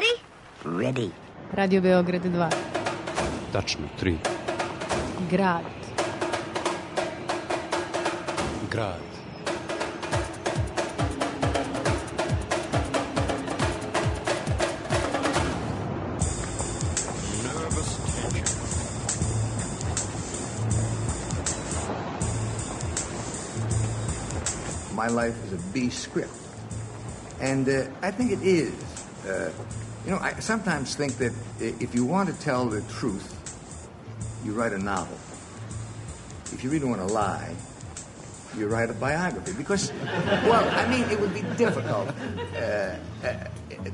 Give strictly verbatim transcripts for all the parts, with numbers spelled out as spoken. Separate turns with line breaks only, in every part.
ready?
Ready.
Radio Beograd dva.
Tačno tri.
Grad.
Grad.
My life is a B script. And uh, I think it is. Uh, you know, I sometimes think that if you want to tell the truth, you write a novel. If you really want to lie, you write a biography. Because, well, I mean, it would be difficult. Uh, uh,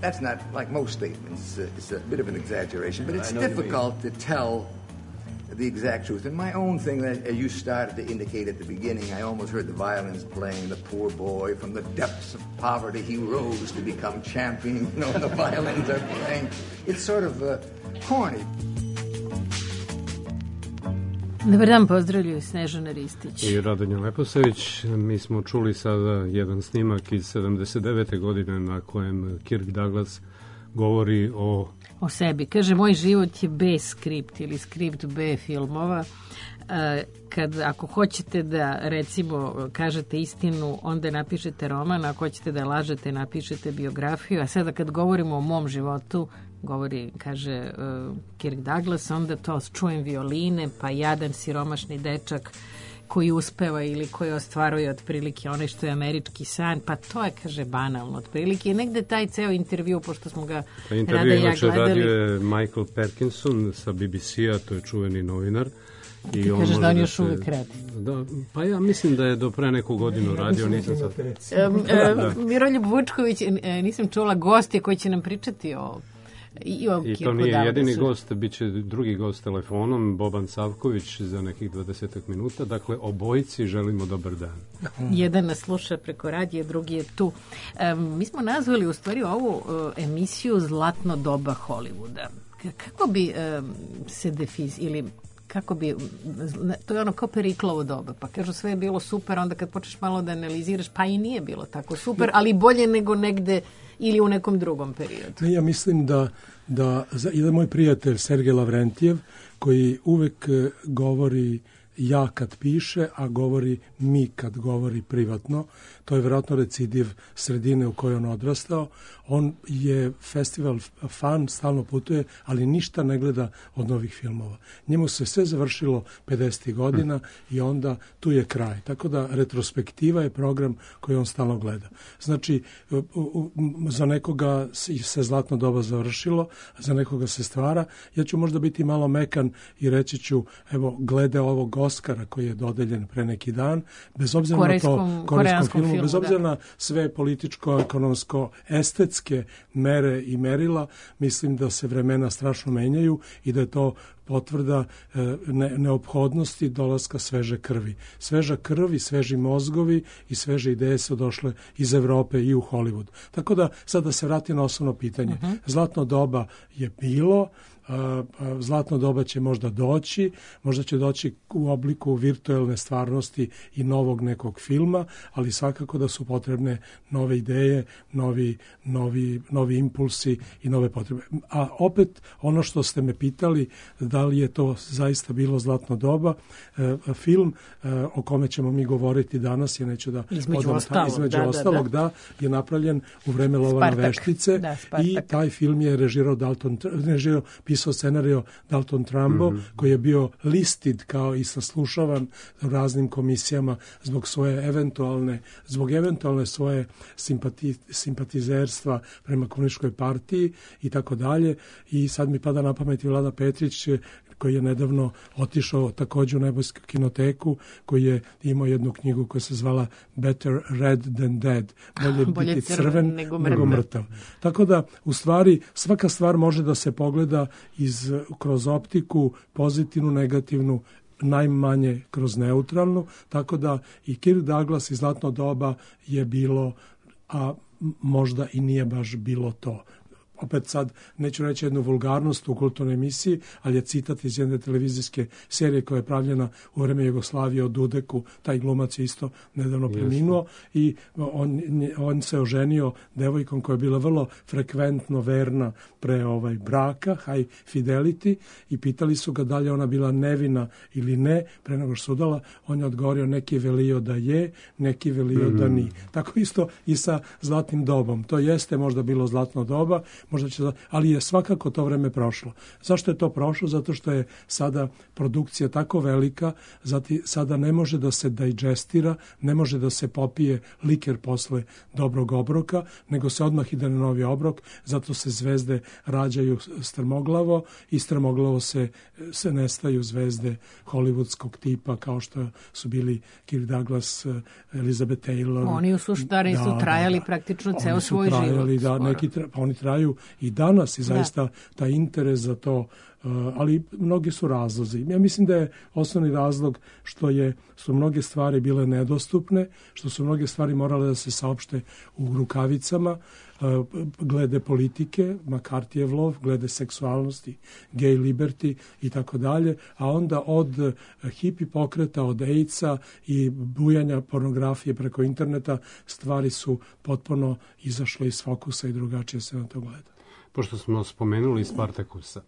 that's not like most statements. Uh, it's a bit of an exaggeration, but it's difficult to tell the exact truth. And my own thing, as you started to indicate at the beginning, I almost heard the violins playing, the poor boy, from the depths of poverty he rose to become champion, you know, and the violins are playing. It's sort of uh, corny.
Dobar dan, pozdravljaju Snežana Ristić
i Radonja Leposavić. Mi smo čuli sada jedan snimak iz sedamdeset devete godine na kojem Kirk Douglas govori o
o sebi. Kaže, moj život je B skript ili skript B filmova. Kad, ako hoćete da, recimo, kažete istinu, onda napišete roman, ako hoćete da lažete, napišete biografiju, a sada kad govorimo o mom životu, govori, kaže uh, Kirk Douglas, onda to čujem violine, pa jadan siromašni dečak koji uspeva ili koji ostvaruje otprilike onaj što je američki san, pa to je, kaže, banalno otprilike. I negde taj ceo intervju, pošto smo ga
pa intervju
Rada i ja gledali.
Radio je Michael Perkinson sa B B C-a, to je čuveni novinar.
I ti on kažeš da on još uvijek radi.
Da, pa ja mislim da je do pre neku godinu radio, nisam sad.
Um, um, Miroljub Vučković, nisam čula goste koji će nam pričati o I,
I to nije jedini gost, bit će drugi gost telefonom, Boban Savković za nekih dvadesetak minuta. Dakle, obojici želimo dobar dan.
Jedan nas sluša preko radija, drugi je tu. Um, mi smo nazvali u stvari ovu uh, emisiju Zlatno doba Hollywooda. Kako bi um, se defiz ili kako bi, to je ono kao Periklovo doba, pa kažu sve je bilo super, onda kad počneš malo da analiziraš, pa i nije bilo tako super, ali bolje nego negde ili u nekom drugom periodu.
Ne, ja mislim da, da jedan moj prijatelj Sergej Lavrentijev, koji uvek govori ja kad piše, a govori mi kad govori privatno, to je vjerojatno recidiv sredine u kojoj on odrastao. On je festival fan, stalno putuje, ali ništa ne gleda od novih filmova. Njemu se sve završilo pedesetih godina hmm. i onda tu je kraj. Tako da retrospektiva je program koji on stalno gleda. Znači, za nekoga se zlatno doba završilo, za nekoga se stvara. Ja ću možda biti malo mekan i reći ću, evo, glede ovog Oskara koji je dodeljen pre neki dan, bez obzira korejskom, na to korejskom filmu, filmu, bez obzira da. na sve političko, ekonomsko, estetske mere i merila, mislim da se vremena strašno menjaju i da je to potvrda ne, neophodnosti dolaska sveže krvi. Sveža krv i sveži mozgovi i sveže ideje su došle iz Evrope i u Hollywood. Tako da, sad da se vrati na osnovno pitanje. Uh-huh. Zlatno doba je bilo, zlatno doba će možda doći, možda će doći u obliku virtualne stvarnosti i novog nekog filma, ali svakako da su potrebne nove ideje, novi, novi, novi impulsi i nove potrebe. A opet, ono što ste me pitali, da li je to zaista bilo zlatno doba, film o kome ćemo mi govoriti danas, ja neću da
između, odam, ostalog,
između
da,
ostalog, da, da. da, je napravljen u vreme Lovana Veštice
da,
i taj film je režirao Dalton, režirao pisao scenario Dalton Trumbo, mm-hmm. koji je bio listed kao i saslušavan u raznim komisijama zbog svoje eventualne, zbog eventualne svoje simpati, simpatizerstva prema komunističkoj partiji i tako dalje. I sad mi pada na pamet i Vlada Petrić, koji je nedavno otišao također u Nebojsku kinoteku, koji je imao jednu knjigu koja se zvala Better Red Than Dead. Bolje,
Bolje
biti crven
nego,
nego mrtav. Tako da, u stvari, svaka stvar može da se pogleda iz, kroz optiku, pozitivnu, negativnu, najmanje kroz neutralnu, tako da i Kirk Douglas i Zlatno doba je bilo, a možda i nije baš bilo to. opet sad neću reći jednu vulgarnost u kulturnoj emisiji, ali je citat iz jedne televizijske serije koja je pravljena u vreme Jugoslavije o Dudeku, taj glumac je isto nedavno preminuo i on, on se oženio devojkom koja je bila vrlo frekventno verna pre ovaj braka, high fidelity, i pitali su ga da li je ona bila nevina ili ne, pre nego što su udala, on je odgovorio neki velio da je, neki velio mm. da ni. Tako isto i sa zlatnim dobom. To jeste možda bilo zlatno doba, možda će, ali je svakako to vreme prošlo. Zašto je to prošlo? Zato što je sada produkcija tako velika, zati sada ne može da se digestira, ne može da se popije liker posle dobrog obroka, nego se odmah ide na novi obrok, zato se zvezde rađaju strmoglavo i strmoglavo se, se nestaju zvezde hollywoodskog tipa kao što su bili Kirk Douglas, Elizabeth Taylor.
Oni u suštari da, su trajali da, praktično ceo svoj
trajali,
život.
Da, neki tra, pa oni traju i danas i zaista da. taj interes za to, uh, ali mnogi su razlozi. Ja mislim da je osnovni razlog što je, su mnoge stvari bile nedostupne, što su mnoge stvari morale da se saopšte u rukavicama, uh, glede politike, McCarthyjev lov, glede seksualnosti, gay liberty i tako dalje, a onda od uh, hipi pokreta, od AIDS-a i bujanja pornografije preko interneta, stvari su potpuno izašle iz fokusa i drugačije se na to gleda.
Pošto smo spomenuli Spartakusa,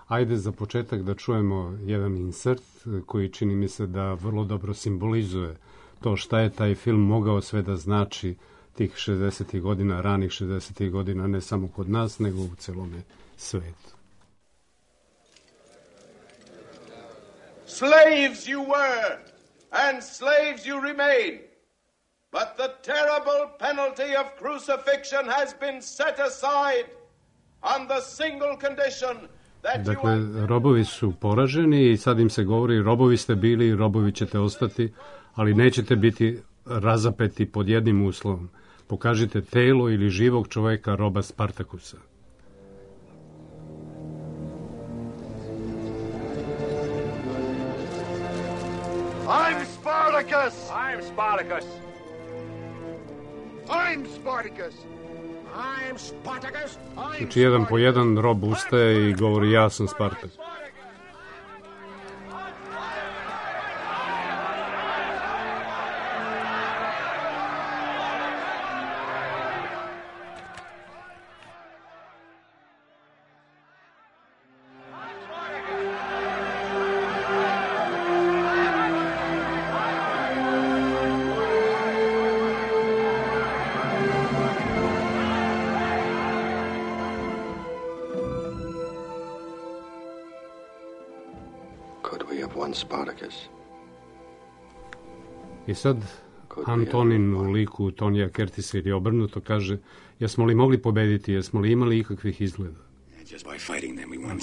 ajde za početak da čujemo jedan insert koji čini mi se da vrlo dobro simbolizuje to šta je taj film mogao sve da znači tih šezdesetih godina, ranih šezdesetih godina, ne samo kod nas, nego u celome svetu.
Slaves you were, and slaves you remain. But the terrible penalty of crucifixion has been set aside on the single condition that you...
Dakle, robovi su poraženi i sad im se govori robovi ste bili i robovi ćete ostati, ali nećete biti razapeti pod jednim uslovom. Pokažite telo ili živog čoveka roba Spartakusa.
I'm Spartacus! I'm Spartacus!
I'm Spartacus! I'm Spartacus! I'm
Znači, jedan po jedan rob ustaje i govori ja sam Spartak.
Spartacus.
I sad Antonin u liku Tonija Curtisa ili obrnuto kaže, jesmo li mogli pobediti, jesmo li imali ikakvih izgleda?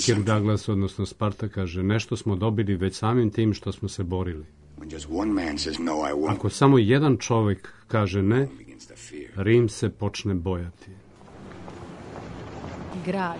Kirk Douglas, odnosno Sparta, kaže, nešto smo dobili već samim tim što smo se borili. Ako samo jedan čovek kaže ne, Rim se počne bojati.
Grad.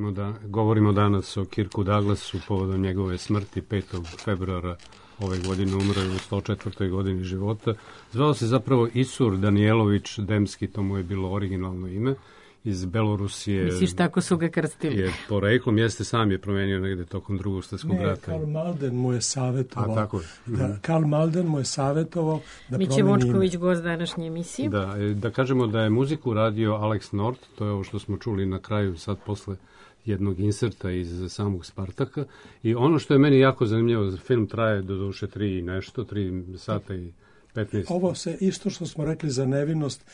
Govorimo, da, govorimo danas o Kirku Douglasu povodom njegove smrti petog februara ove godine, umro je u sto četvrtoj godini života. Zvao se zapravo Isur Danijelović Demski, to mu je bilo originalno ime, iz Belorusije.
Misliš, tako su ga krstili?
Je poreklom, jeste, sam je promenio negde tokom drugog svjetskog rata.
Ne, Karl Malden mu je savjetovao.
A, tako je.
Da, Karl Malden mu je savjetovao da
Miće
promeni
Vočković,
ime.
gost današnje emisije.
Da, da kažemo da je muziku radio Alex North, to je ovo što smo čuli na kraju sad posle jednog inserta iz samog Spartaka. I ono što je meni jako zanimljivo, film traje do duše tri i nešto, tri sata i petnaest.
Ovo se isto što smo rekli za nevinost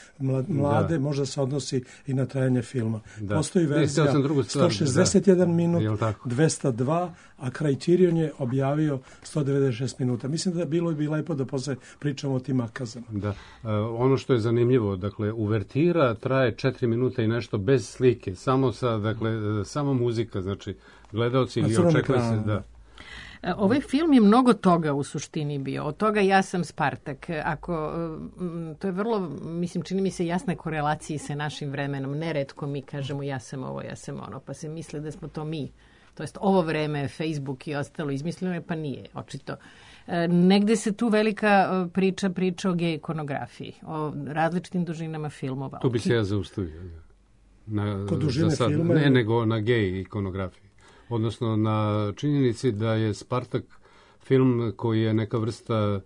mlade, da, možda se odnosi i na trajanje filma. Da. Postoji verzija ne, sto šezdeset jedan da. minut, dvesta dva, a Criterion je objavio sto devedeset šest minuta. Mislim da bilo bi lepo da posle pričamo o tim akazama.
Da. Uh, ono što je zanimljivo, dakle, uvertira traje četiri minuta i nešto bez slike, samo sa, dakle, samo muzika, znači gledaoci i očekuje se da.
Ovaj film je mnogo toga u suštini bio. Od toga ja sam Spartak. Ako, to je vrlo, mislim, čini mi se jasne korelaciji sa našim vremenom. Neretko mi kažemo ja sam ovo, ja sam ono, pa se misle da smo to mi. To jest ovo vreme, Facebook i ostalo izmisleno, pa nije, očito. Negde se tu velika priča, priča o gej ikonografiji, o različitim dužinama filmova.
Tu bi se ja zaustavio. Na,
Kod dužine
sad,
filma?
Ne, nego na gej ikonografiji. Odnosno na činjenici da je Spartak film koji je neka vrsta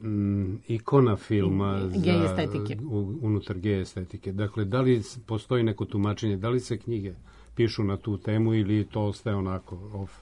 m, ikona filma
gej estetike.
Za, u, unutar gej estetike. Dakle, da li postoji neko tumačenje, da li se knjige pišu na tu temu ili to ostaje onako off?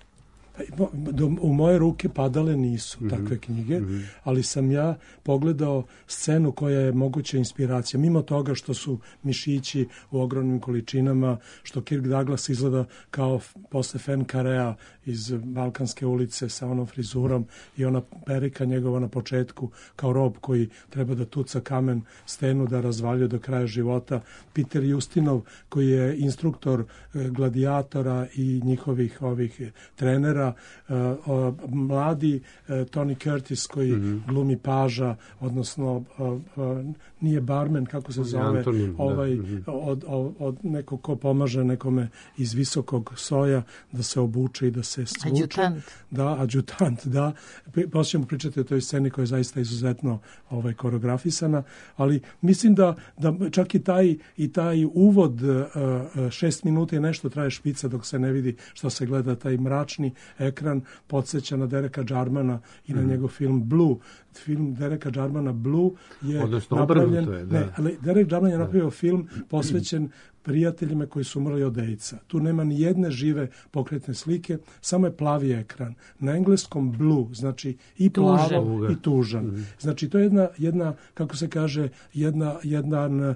U moje ruke padale nisu mm-hmm. takve knjige, mm-hmm. ali sam ja pogledao scenu koja je moguća inspiracija. Mimo toga što su mišići u ogromnim količinama, što Kirk Douglas izgleda kao posle Fen Karea iz Balkanske ulice sa onom frizurom i ona perika njegova na početku kao rob koji treba da tuca kamen stenu da razvaljuje do kraja života. Peter Justinov koji je instruktor gladijatora i njihovih ovih trenera. Uh, uh, mladi uh, Tony Curtis koji mm-hmm. glumi paža, odnosno uh, uh, nije barmen, kako se zove,
Antonin,
ovaj,
da. mm-hmm.
od, od, od nekog ko pomaže nekome iz visokog soja da se obuče i da se svuče.
Adjutant.
Da, adjutant, da. Poslije ćemo pričati o toj sceni koja je zaista izuzetno ovaj, koreografisana, ali mislim da, da čak i taj, i taj uvod uh, šest minuta i nešto traje špica dok se ne vidi što se gleda, taj mračni ekran podsjeća na Dereka Jarmana i na mm. njegov film Blue. Film Dereka Jarmana Blue je
odnosno,
napravljen...
Je, da.
Ne, ali Derek Jarman je napravio da. film posvećen prijateljima koji su umrli od AIDS-a. Tu nema ni jedne žive pokretne slike, samo je plavi ekran. Na engleskom blue, znači i plavo tužan. i tužan. Mm-hmm. Znači to je jedna, jedna, kako se kaže, jedna, jedan, uh,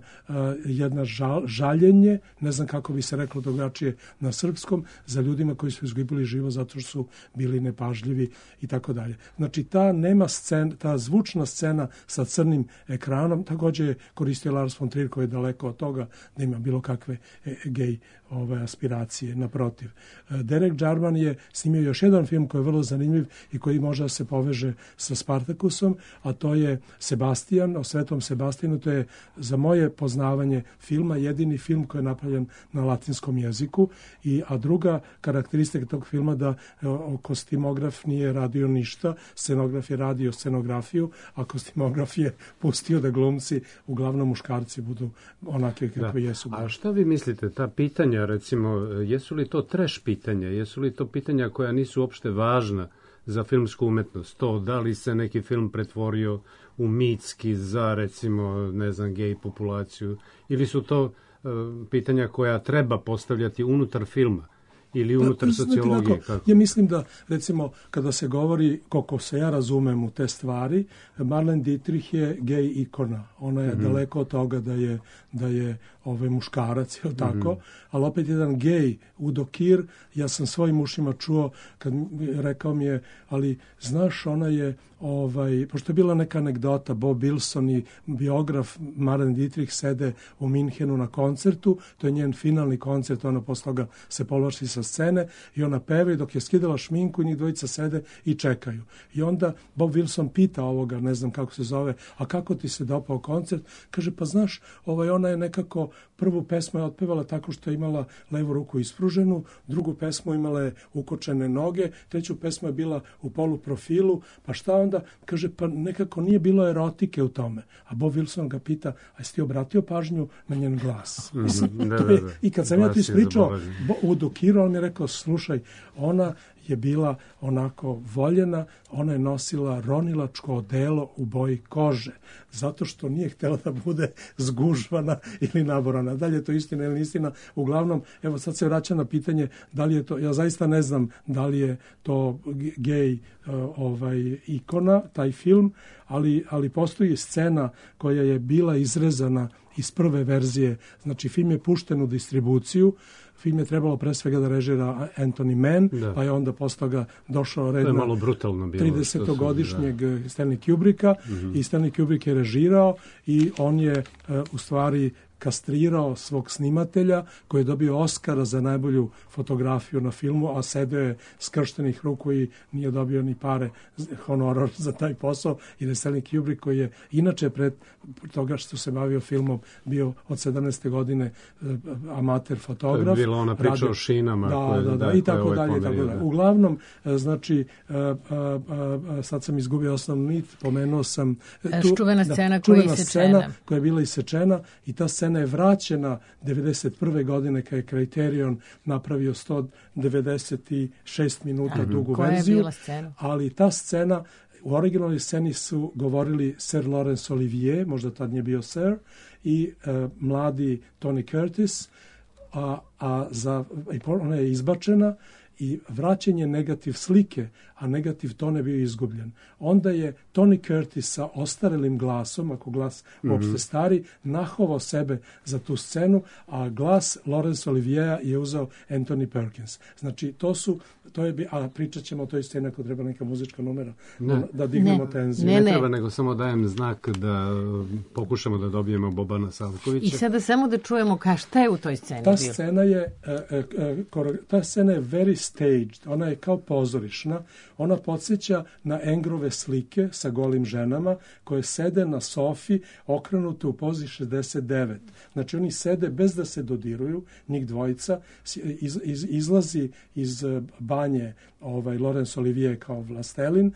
jedna žal, žaljenje, ne znam kako bi se reklo drugačije na srpskom, za ljudima koji su izgubili život zato što su bili nepažljivi i tako dalje. Znači ta nema scena, ta zvučna scena sa crnim ekranom, također je koristio Lars von Trier koji je daleko od toga da ima bilo kakve e, gej ove aspiracije, naprotiv. Derek Jarman je snimio još jedan film koji je vrlo zanimljiv i koji može da se poveže sa Spartakusom, a to je Sebastian, o Svetom Sebastijanu. To je za moje poznavanje filma jedini film koji je napravljen na latinskom jeziku, i, a druga karakteristika tog filma da o, kostimograf nije radio ništa, scenograf je radio scenografiju, a kostimograf je pustio da glumci, uglavnom muškarci, budu onake kakve da. jesu.
A šta vi mislite, ta pitanja, recimo, jesu li to trash pitanja, jesu li to pitanja koja nisu uopšte važna za filmsku umetnost? To da li se neki film pretvorio u mitski za, recimo, ne znam, gej populaciju, ili su to uh, pitanja koja treba postavljati unutar filma ili unutar da, sociologije? Kako?
Ja mislim da, recimo, kada se govori, koliko se ja razumem u te stvari, Marlene Dietrich je gej ikona. Ona je mm-hmm. daleko od toga da je, da je ovaj muškarac, je tako? Mm-hmm. Ali opet jedan gej, Udo Kier, ja sam svojim ušima čuo, kad rekao mi je, ali znaš, ona je, ovaj, pošto je bila neka anegdota, Bob Wilson i biograf Marlene Dietrich sede u Minhenu na koncertu, to je njen finalni koncert, ona posle toga se povlači sa scene i ona peva i dok je skidala šminku njih dvojica sede i čekaju. I onda Bob Wilson pita ovoga, ne znam kako se zove, a kako ti se dopao koncert? Kaže, pa znaš, ovaj, ona je nekako prvu pesmu je otpevala tako što je imala levu ruku ispruženu, drugu pesmu imala je ukočene noge, treću pesmu je bila u poluprofilu, pa šta onda? Kaže, pa nekako nije bilo erotike u tome. A Bob Wilson ga pita, a jesi ti obratio pažnju na njen glas?
Mm,
Mislim,
da,
to je,
da, da.
I kad sam ja to ispričao, u Dukiru, on mi je rekao, slušaj, ona je bila onako voljena, ona je nosila ronilačko odelo u boji kože, zato što nije htjela da bude zgužvana ili naborana. Da li je to istina ili istina? Uglavnom, evo sad se vraća na pitanje da li je to, ja zaista ne znam da li je to gej uh, ovaj, ikona, taj film, ali, ali postoji scena koja je bila izrezana iz prve verzije. Znači, film je pušten u distribuciju, film je trebalo pre svega da režira Anthony Mann, da. Pa je onda posle toga došao red na tridesetogodišnjeg Stanley Kubricka mm-hmm. i Stanley Kubrick je režirao i on je uh, u stvari kastrirao svog snimatelja koji je dobio Oscara za najbolju fotografiju na filmu, a sedeo je skrštenih ruku i nije dobio ni pare honorar za taj posao. I Stanley Kubrick, koji je inače pred toga što se bavio filmom bio od sedamnaeste godine amater fotograf.
To je bilo ona priča radio, o šinama.
Da, koje, da, da, da, i tako ovaj dalje, tako dalje. Uglavnom, znači, a, a, a, sad sam izgubio osnovnu nit, pomenuo sam
tu, čuvena scena, da, čuvena
scena koja je bila isečena i ta scena je vraćena devedeset prve godine kad je Criterion napravio sto devedeset šest minuta Aha. dugu
koja
verziju.
Je bila scena?
Ali ta scena, u originalnoj sceni su govorili Sir Laurence Olivier, možda tad nije bio Sir, i e, mladi Tony Curtis, a, a za, ona je izbačena i vraćen je negativ slike, a negativ ton je bio izgubljen. Onda je Tony Curtis sa ostarelim glasom, ako glas mm-hmm. uopšte stari, nahovao sebe za tu scenu, a glas Laurence Oliviera je uzeo Anthony Perkins. Znači, to su, to je, a pričat ćemo o toj sceni ako treba neka muzička numera, ne. da dignemo ne. tenziju.
Ne, ne. ne treba, nego samo dajem znak da pokušamo da dobijemo Bobana Savkovića.
I sada samo da čujemo ka šta je u toj sceni
ta
bilo.
Scena je, ta scena je very staged, ona je kao pozorišna, ona podsjeća na Engrove slike sa golim ženama koje sede na sofi okrenute u pozi šezdeset devet. Znači oni sede bez da se dodiruju, njih dvojica, iz, iz, izlazi iz banje ovaj, Laurence Olivier kao vlastelin,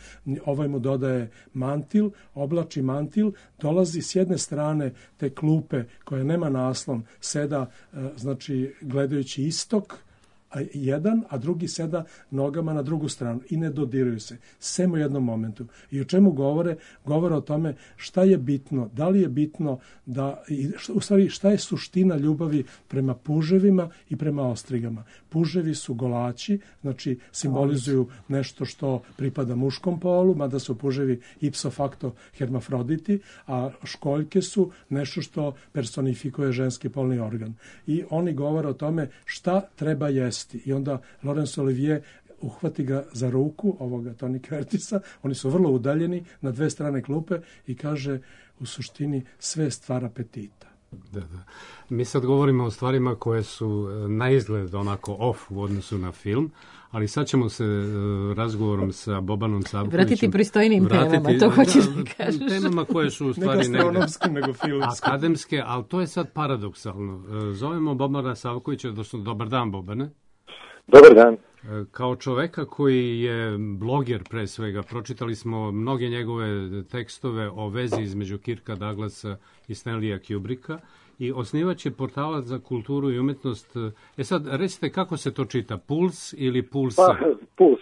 ovaj mu dodaje mantil, oblači mantil, dolazi s jedne strane te klupe koja nema naslon, seda znači gledajući istok, a jedan, a drugi seda nogama na drugu stranu i ne dodiruju se, sem u jednom momentu. I o čemu govore? Govore o tome šta je bitno, da li je bitno da, u stvari šta je suština ljubavi prema puževima i prema ostrigama. Puževi su golači, znači simbolizuju nešto što pripada muškom polu, mada su puževi ipso facto hermafroditi, a školjke su nešto što personifikuje ženski polni organ. I oni govore o tome šta treba jesti. I onda Laurence Olivier uhvati ga za ruku, ovoga Tony Curtisa, oni su vrlo udaljeni na dve strane klupe i kaže u suštini sve je stvar apetita.
Da, da. Mi sad govorimo o stvarima koje su na izgled onako off u odnosu na film, ali sad ćemo se uh, razgovorom sa Bobanom Savkovićem
vratiti pristojnim vratiti, temama, to hoćeš da, da kažeš.
Temama koje su u stvari
ne nego filmske.
Akademske, ali to je sad paradoksalno. Zovemo Bobana Savkovića, odnosno dobar dan Bobane.
Dobar dan.
Kao čoveka koji je bloger pre svega, pročitali smo mnoge njegove tekstove o vezi između Kirka Douglasa i Stanleya Kubricka i osnivač je portala za kulturu i umetnost. E sad, recite kako se to čita, Puls ili Puls?
Pa, Puls.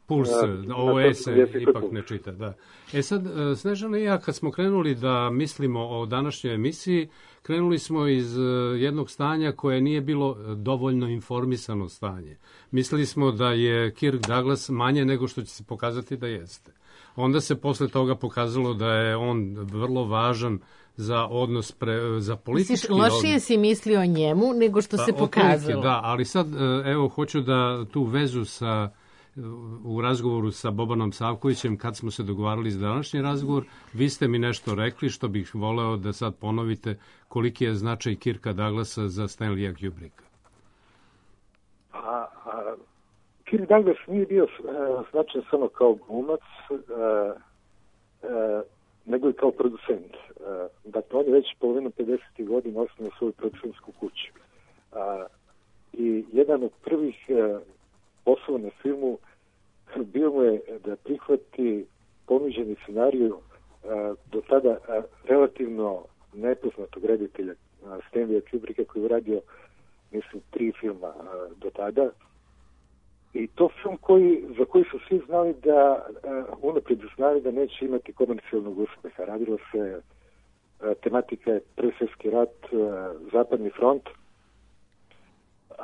Puls, ovo E se ipak ne čita, da. E sad, Snežana i ja kad smo krenuli da mislimo o današnjoj emisiji, krenuli smo iz jednog stanja koje nije bilo dovoljno informisano stanje. Mislili smo da je Kirk Douglas manje nego što će se pokazati da jeste. Onda se posle toga pokazalo da je on vrlo važan za odnos, pre, za politički
Misliš, lošije
odnos.
Si mislio o njemu nego što pa, se pokazalo.
Da, ali sad, evo, hoću da tu vezu sa u razgovoru sa Bobanom Savkovićem, kad smo se dogovarali za današnji razgovor, vi ste mi nešto rekli što bih voleo da sad ponovite, koliki je značaj Kirka Douglasa za Stanleya Kubricka.
A, a, Kirk Douglas nije bio uh, značajan samo kao glumac, uh, uh, nego i kao producent. Uh, dakle, on je već polovinu pedesetih godina osnovao svoju producentsku kuću. Uh, I jedan od prvih uh, poslova na filmu bio mu je da prihvati ponuđeni scenariju uh, do tada uh, relativno nepoznatog reditelja uh, Stanleya Kubricka, koji je uradio, mislim, tri filma uh, do tada. I to film koji, za koji su svi znali da, uh, unaprijed znali da neće imati komercijalnog uspeha. Radilo se, uh, tematika je Prvi svjetski rat, uh, Zapadni front, uh,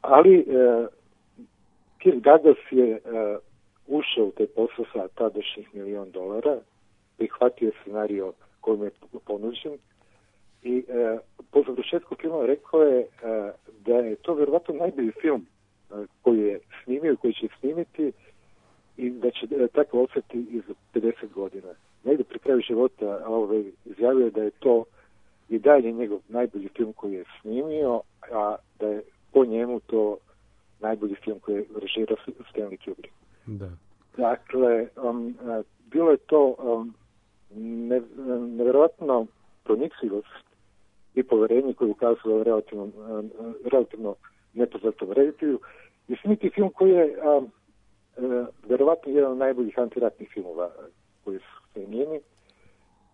ali uh, Kirk Douglas je uh, ušao u taj posao sa tadašnjih milion dolara, prihvatio scenario kojim je ponuđen i uh, po završetku filma rekao je uh, da je to vjerovatno najbolji film uh, koji je snimio i koji će snimiti i da će uh, tako ostati i za pedeset godina. Negdje pri kraju života ovaj, izjavio da je to i dalje njegov najbolji film koji je snimio, a da je po njemu to najbolji film koji je režirao Stanley Kubrick.
Da.
Dakle, um, bilo je to um, ne, nevjerojatno pronicljivost i poverenje koje je ukazalo relativno, um, relativno nepoznatom reditelju. I snimiti film koji je um, uh, vjerovatno jedan od najboljih antiratnih filmova koji su snimljeni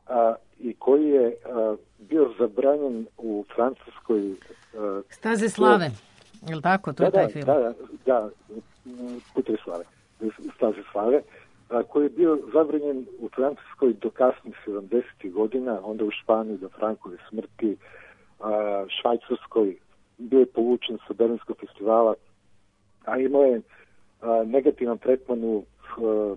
a, i koji je uh, bio zabranjen u Francuskoj. Uh,
Staze slave. Je li tako? To
da,
je taj
da,
film.
Da, da, Putevi slave. Staze slave, a, koji je bio zabranjen u Francuskoj do kasnih sedamdesetih godina, onda u Španiji do Frankove smrti, a, Švajcarskoj, bio je povučen sa Berlinskog festivala, a imao je a, negativan tretman u a,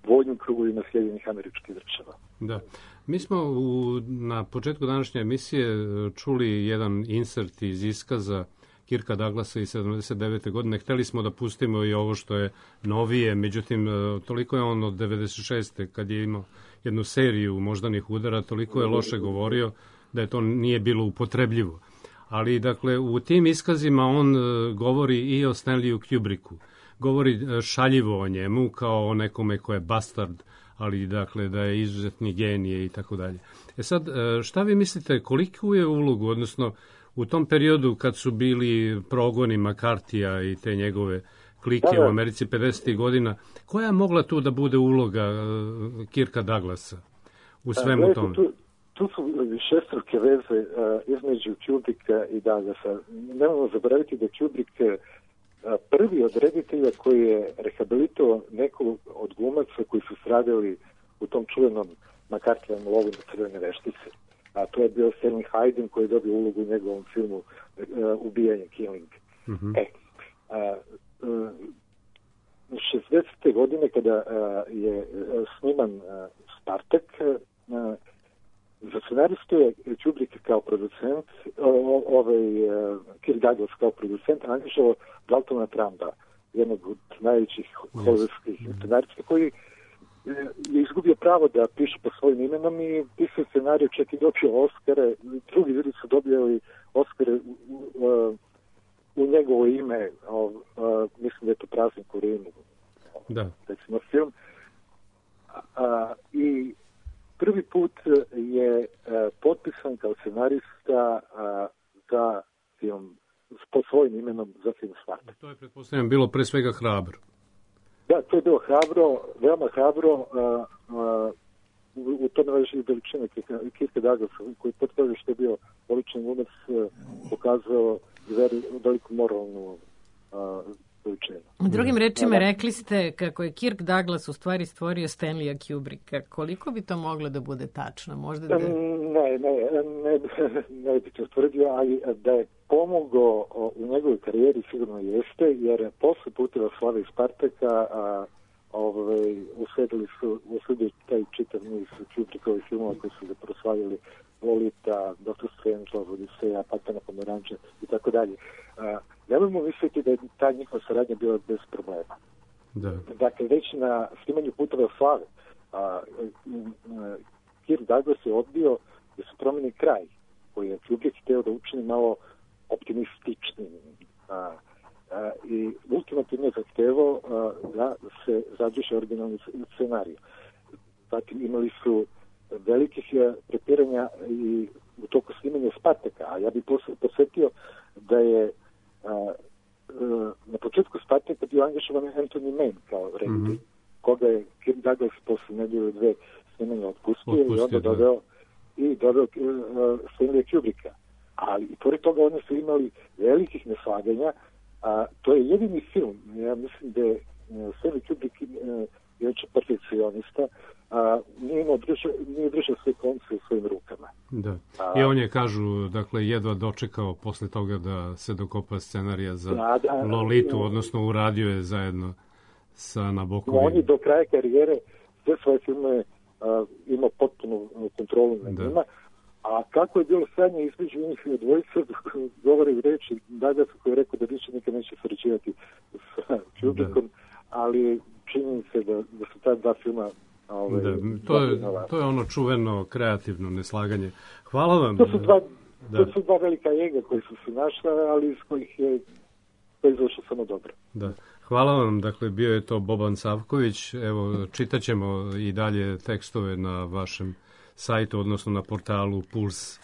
vojnim krugovima Sjedinjenih Američkih Država.
Da. Mi smo u, na početku današnje emisije čuli jedan insert iz iskaza Kirka Douglasa iz sedamdeset devete godine. Hteli smo da pustimo i ovo što je novije, međutim, toliko je on od devedeset šeste kad je imao jednu seriju moždanih udara, toliko je loše govorio da je to nije bilo upotrebljivo. Ali, dakle, u tim iskazima on govori i o Stanleyu Kubricku. Govori šaljivo o njemu kao o nekome ko je bastard, ali, dakle, da je izuzetni genije i tako dalje. E sad, šta vi mislite, koliku je ulogu, odnosno u tom periodu kad su bili progoni Makartija i te njegove klike da, da. u Americi pedesetih godina, koja je mogla tu da bude uloga uh, Kirka Douglasa u svemu
da,
tome?
Tu, tu su višestruke veze uh, između Kubricka i Douglasa. Nemojmo zaboraviti da Kubrick uh, prvi od reditelja koji je rehabilitovao nekog od glumaca koji su stradali u tom čuvenom Makartijevom lovu na crvene veštice. A to je bio Stanley Hayden koji je dobio ulogu u njegovom filmu uh, Ubijanje, Killing. Mm-hmm. E, uh, uh, šezdesete godine kada uh, je uh, sniman uh, Spartak, uh, za scenaristu je Kubrick kao producent, uh, ovaj uh, Kirk Douglas kao producent angažovao Daltona Trumba, jednog od najvećih hollywoodskih yes. scenarista koji je izgubio pravo da piše po svojim imenom i pisao scenariju, čak i dobio Oskare. Drugi ljudi su dobili Oskare u, u, u njegovo ime. O, a, mislim da je to Praznik u Rimu.
Da.
Recimo film. A, I prvi put je a, potpisan kao scenarista a, za film po svojim imenom za film Spartak.
To je, pretpostavljam, bilo pre svega hrabro.
Da, to je bilo hrabro, veoma hrabro. Uh, uh, u, u tome leži veličina Kirka Douglasa, koji potvrdio što je bio odličan glumac, uh, pokazao veliku moralnu uh, veličinu.
Drugim rečima, da, rekli ste kako je Kirk Douglas u stvari stvorio Stanleya Kubricka. Koliko bi to moglo da bude tačno? Možda da...
Ne, ne, ne, ne bi to tvrdio, ali da je pomogao u njegovoj karijeri sigurno jeste, jer posle Puteva slave i Spartaka a, ovaj, usledili su usledili taj čitav niz Kubrickovih filmova koji su ga proslavili, Lolita, doktor Strangelove, Odiseja, Pakta na Pomeranče i tako dalje. Nemojmo misliti da je ta njihova saradnja bila bez problema.
Da.
Dakle, već na snimanju Puteva slave a, a, Kirk Douglas je odbio da se promeni kraj koji je Kubrick hteo da učini malo optimističnim. A, a, I ultimativno ultimativno zahtevao da se zadrži originalni scenarij. Zatim imali su velikih prepiranja i u toku snimanja Spartaka, a ja bih posvetio da je a, a, na početku Spartaka bio angažovan Anthony Mann kao reditelj, mm-hmm. koga je Kirk Douglas posle nedelju dve snimanja otpustio, otpustio i onda doveo i doveo uh, Stanleya Kubricka. Ali i pored toga oni su imali velikih neslaganja, a to je jedini film, ja mislim da je Stanley Kubrick uh, inače perfekcionista, a nije imao držao, nije držao sve konce u svojim rukama.
Da. I on je, kažu, dakle, jedva dočekao posle toga da se dokopa scenarija za da, da, Lolitu, odnosno uradio je zajedno sa Nabokovim.
On je do kraja karijere sve svoje filme uh, imao potpunu kontrolu na njima, a kako je bilo stanje između njih dvojica, govore reči Douglas koji je rekao da više nikad neće sređivati sa Kubrickom, ali čini se da, da su ta dva filma Ove,
da, to, je, to je ono čuveno kreativno neslaganje. Hvala vam.
To su dva, da. to su dva velika jega koji su se našla, ali iz kojih je to izašlo samo dobro.
Da. Hvala vam, dakle bio je to Boban Savković. Evo, čitaćemo i dalje tekstove na vašem sajtu, odnosno na portalu Puls.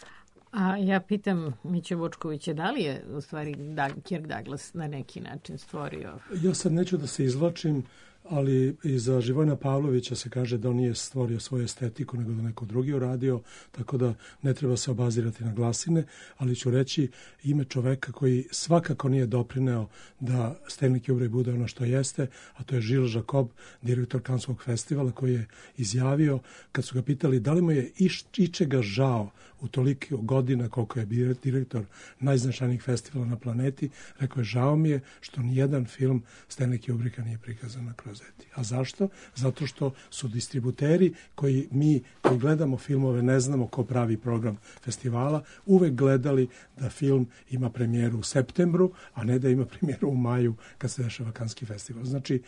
A ja pitam Miće Vučkovića, da li je u stvari Kirk Douglas na neki način stvorio?
Ja sad neću da se izvlačim, ali i za Živojna Pavlovića se kaže da on nije stvorio svoju estetiku, nego da neko drugi uradio, tako da ne treba se obazirati na glasine, ali ću reći ime čoveka koji svakako nije doprineo da Stanley Kubrick bude ono što jeste, a to je Gilles Jacob, direktor Kanskog festivala, koji je izjavio, kad su ga pitali da li mu je iš, ičega žao u toliko godina koliko je direktor najznačajnijih festivala na planeti, rekao je, žao mi je što nijedan film Stanley Kubricka nije prikazan na Krozeti. A zašto? Zato što su distributeri koji mi koji gledamo filmove, ne znamo ko pravi program festivala, uvek gledali da film ima premijeru u septembru, a ne da ima premijeru u maju kad se dešava Kanski festival. Znači,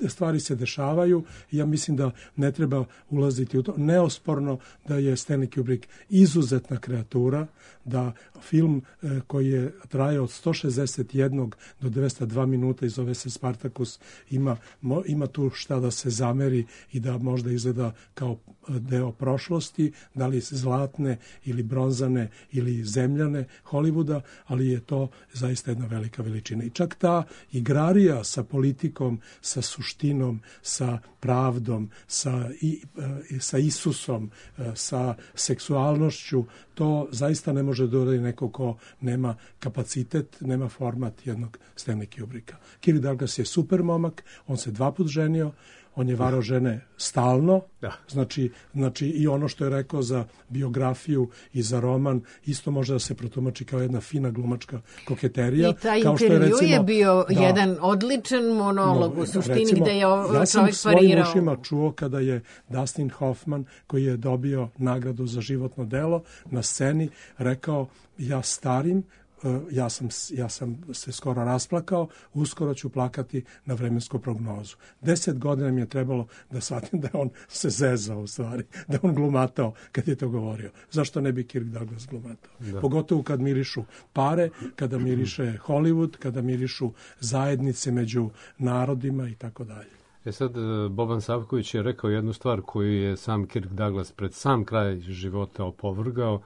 stvari se dešavaju i ja mislim da ne treba ulaziti u to. Neosporno da je Stanley Kubrick izuzetna kreatura, da film e, koji je trajao od sto šezdeset jedan do dvesta dva minuta i zove se Spartacus, ima, mo, ima tu šta da se zameri i da možda izgleda kao deo prošlosti, da li zlatne ili bronzane ili zemljane Hollywooda, ali je to zaista jedna velika veličina. I čak ta igrarija sa politikom, sa suštinom, sa pravdom, sa, i, sa Isusom, sa seksualnošću, to zaista ne može dodati neko ko nema kapacitet, nema format jednog Stanley Kubricka. Kirk Douglas je super momak, on se dva put ženio, on je varao žene stalno, da. Znači, znači i ono što je rekao za biografiju i za roman, isto može da se protumači kao jedna fina glumačka koketerija.
I taj
kao
intervju
što je, recimo,
je bio
da,
jedan odličan monolog u suštini,
recimo,
gde je
ja
čovjek parirao.
sam svojim ušima čuo kada je Dustin Hoffman, koji je dobio nagradu za životno delo, na sceni rekao, ja starim, ja sam, ja sam se skoro rasplakao, uskoro ću plakati na vremensku prognozu. Deset godina mi je trebalo da shvatim da on se zezao u stvari, da on glumatao kad je to govorio. Zašto ne bi Kirk Douglas glumatao? Da. Pogotovo kad mirišu pare, kada miriše Hollywood, kada mirišu zajednice među narodima i tako dalje.
E sad, Boban Savković je rekao jednu stvar koju je sam Kirk Douglas pred sam kraj života opovrgao.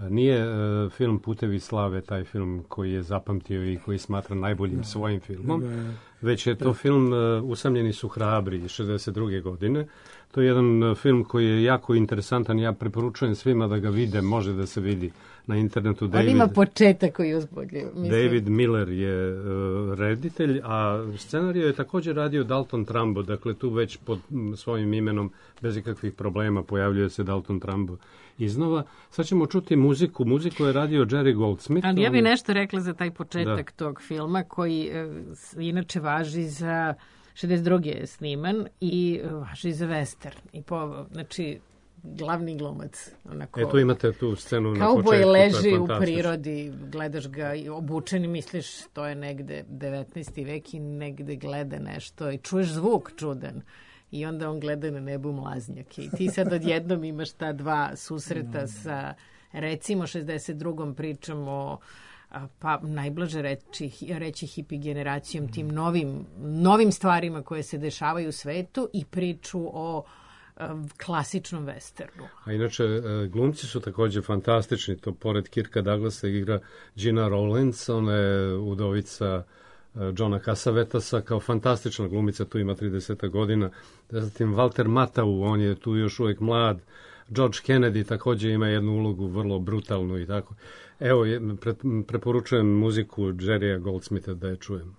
Nije uh, film Putevi slave taj film koji je zapamtio i koji smatra najboljim svojim filmom, već je to film uh, Usamljeni su hrabri iz šezdeset druge godine. To je jedan uh, film koji je jako interesantan, ja preporučujem svima da ga vide, može da se vidi na internetu.
David, on ima početak koji uzbudljiv.
David Miller je uh, reditelj, a scenariju je također radio Dalton Trumbo, dakle tu već pod svojim imenom bez ikakvih problema pojavljuje se Dalton Trumbo iznova. Sad ćemo čuti muziku. Muziku je radio Jerry Goldsmith.
Ali ja bih nešto rekla za taj početak da. tog filma koji e, inače važi za šezdeset druge je sniman i važi za western. I po, znači, glavni glumac. Onako,
e, tu imate tu scenu na početku.
Kauboj leži u prirodi, gledaš ga i obučen i misliš to je negde devetnaesti vek i negde gleda nešto i čuješ zvuk čudan. I onda on gleda na nebu mlaznjake. I ti sad odjednom imaš ta dva susreta sa, recimo, šezdeset drugom pričom o pa najblaže reći, reći hipi generacijom, tim novim, novim stvarima koje se dešavaju u svetu i priču o klasičnom westernu.
A inače, glumci su također fantastični. To pored Kirka Douglasa igra Gina Rowlands, ona je udovica Johna Cassavetasa, kao fantastična glumica, tu ima trideset godina. Zatim Walter Matthau, on je tu još uvijek mlad. George Kennedy također ima jednu ulogu vrlo brutalnu i tako. Evo, pre, preporučujem muziku Jerrya Goldsmitha da je čujem.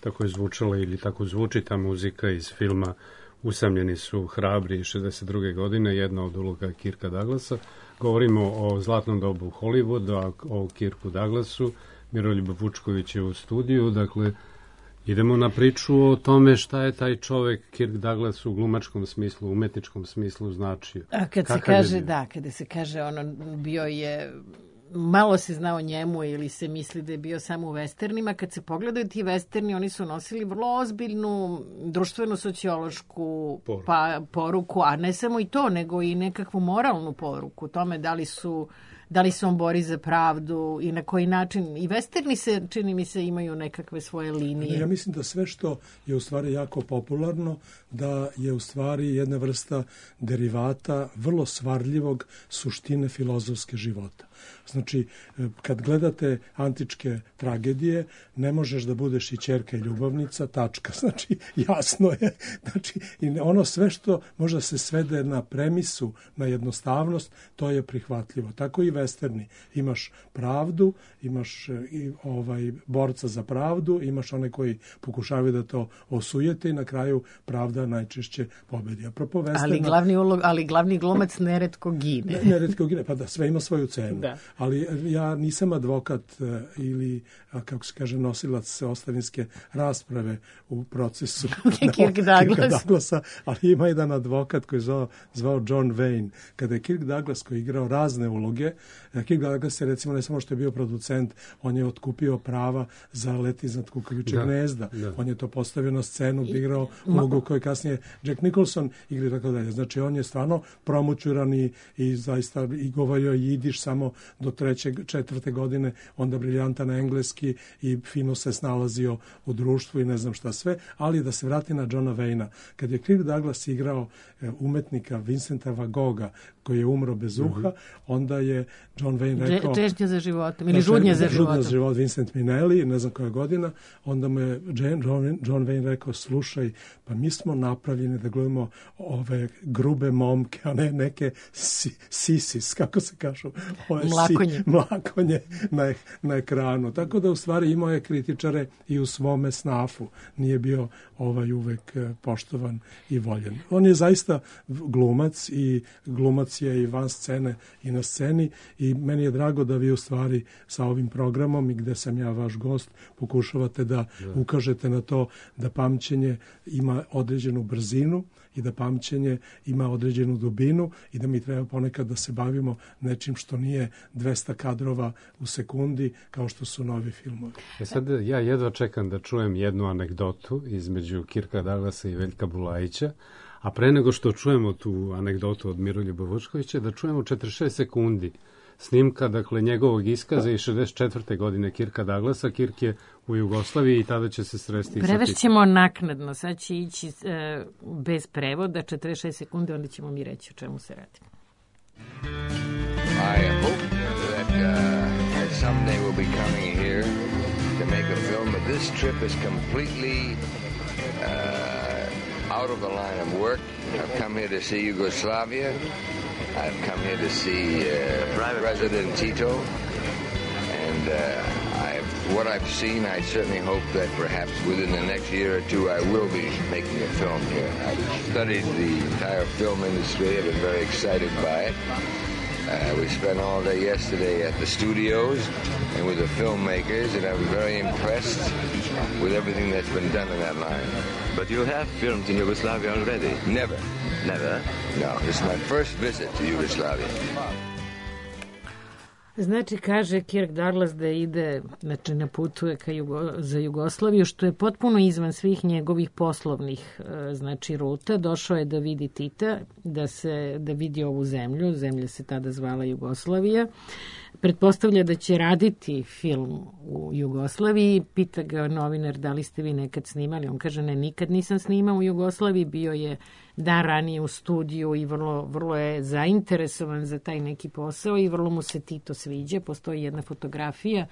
Tako je zvučala ili tako zvuči ta muzika iz filma Usamljeni su hrabri šezdeset druge godine, jedna od uloga Kirka Douglasa. Govorimo o zlatnom dobu Hollywooda, o Kirku Douglasu. Miroljub Vučković je u studiju, dakle Idemo na priču o tome šta je taj čovek Kirk Douglas u glumačkom smislu, umetničkom smislu značio.
A kad se kaže, da, kada se kaže ono, bio je, malo se zna o njemu ili se misli da je bio samo u westernima, kad se pogledaju ti westerni, oni su nosili vrlo ozbiljnu društveno-sociološku poruku. Pa, poruku, a ne samo i to, nego i nekakvu moralnu poruku, tome da li su da li se on bori za pravdu i na koji način. I westerni se, čini mi se, imaju nekakve svoje linije.
Ja mislim da sve što je u stvari jako popularno, da je u stvari jedna vrsta derivata vrlo svarljivog suštine filozofske života. Znači, kad gledate antičke tragedije, ne možeš da budeš i ćerka i ljubavnica, tačka. Znači, jasno je. Znači, i ono sve što možda se svede na premisu, na jednostavnost, to je prihvatljivo. Tako i westerni. Imaš pravdu, imaš i ovaj borca za pravdu, imaš one koji pokušavaju da to osujete i na kraju pravda najčešće pobedi. Apropo westerna,
ali glavni ulog, ali glavni glumac neretko gine.
Ne, neretko gine, pa da, sve ima svoju cenu.
Da.
Ali ja nisam advokat ili, kako se kaže, nosilac ostavinske rasprave u procesu
Kirk Douglas.
Douglasa, ali ima jedan advokat koji je zvao, zvao John Wayne. Kada je Kirk Douglas, koji je igrao razne uloge, Kirk Douglas je, recimo, ne samo što je bio producent, on je otkupio prava za Let iznad kukavičjeg da, gnezda. Da. On je to postavio na scenu, igrao ulogu koju kasnije Jack Nicholson igra i tako dalje. Znači, on je stvarno promućuran i, i zaista i govorio jidiš samo do treće, četvrte godine, onda briljantan na engleski i fino se snalazio u društvu i ne znam šta sve, ali da se vrati na Johna Wayna. Kad je Kirk Douglas igrao umetnika Vincenta Van Gogha, koji je umro bez uha, mm-hmm. onda je John Wayne rekao...
Češnja za životom, ili žudnja za životom.
Žudnja za život, Vincent Minnelli, ne znam koja godina, onda mu je John, John Wayne rekao, slušaj, pa mi smo napravljeni da gledamo ove grube momke, a ne neke si, sisis, kako se kažu? Ove
mlakonje.
Si, mlakonje na, na ekranu. Tako da u stvari imao je kritičare i u svome snafu. Nije bio ovaj uvek poštovan i voljen. On je zaista glumac i glumac je i van scene i na sceni i meni je drago da vi u stvari sa ovim programom i gde sam ja vaš gost pokušavate da ukažete na to da pamćenje ima određenu brzinu i da pamćenje ima određenu dubinu i da mi treba ponekad da se bavimo nečim što nije dvesta kadrova u sekundi kao što su novi filmovi.
E sad ja jedva čekam da čujem jednu anegdotu između Kirka Douglasa i Veljka Bulajića, a pre nego što čujemo tu anegdotu od Miroljuba Vučkovića, da čujemo četrdeset šest sekundi snimka, dakle, njegovog iskaza iz šezdeset četvrte godine Kirka Douglasa. Kirk je u Jugoslaviji i tada će se sresti.
Prevešćemo naknadno, sad će ići e, bez prevoda, četrdeset šest sekundi, onda ćemo mi reći o čemu se radi.
I hope that, uh, that someday we'll be coming here to make a film, but this trip is completely uh, out of the line of work. I've come here to see Yugoslavia. I've come here to see uh, President Tito, and uh, I've, what I've seen, I certainly hope that perhaps within the next year or two I will be making a film here. I've studied the entire film industry. I've been very excited by it. Uh, we spent all day yesterday at the studios and with the filmmakers, and I was very impressed with everything that's been done in that line.
But you have filmed in Yugoslavia already?
Never.
Never?
No, this is my first visit to Yugoslavia.
Znači, kaže Kirk Douglas da ide, znači ne putuje ka Jugo, za Jugoslaviju, što je potpuno izvan svih njegovih poslovnih znači ruta. Došao je da vidi Tita, da se da vidi ovu zemlju, zemlja se tada zvala Jugoslavija. Pretpostavlja da će raditi film u Jugoslaviji. Pita ga novinar da li ste vi nekad snimali. On kaže ne, nikad nisam snimao u Jugoslaviji, bio je dan ranije u studiju i vrlo, vrlo je zainteresovan za taj neki posao i vrlo mu se Tito sviđa. Postoji jedna fotografija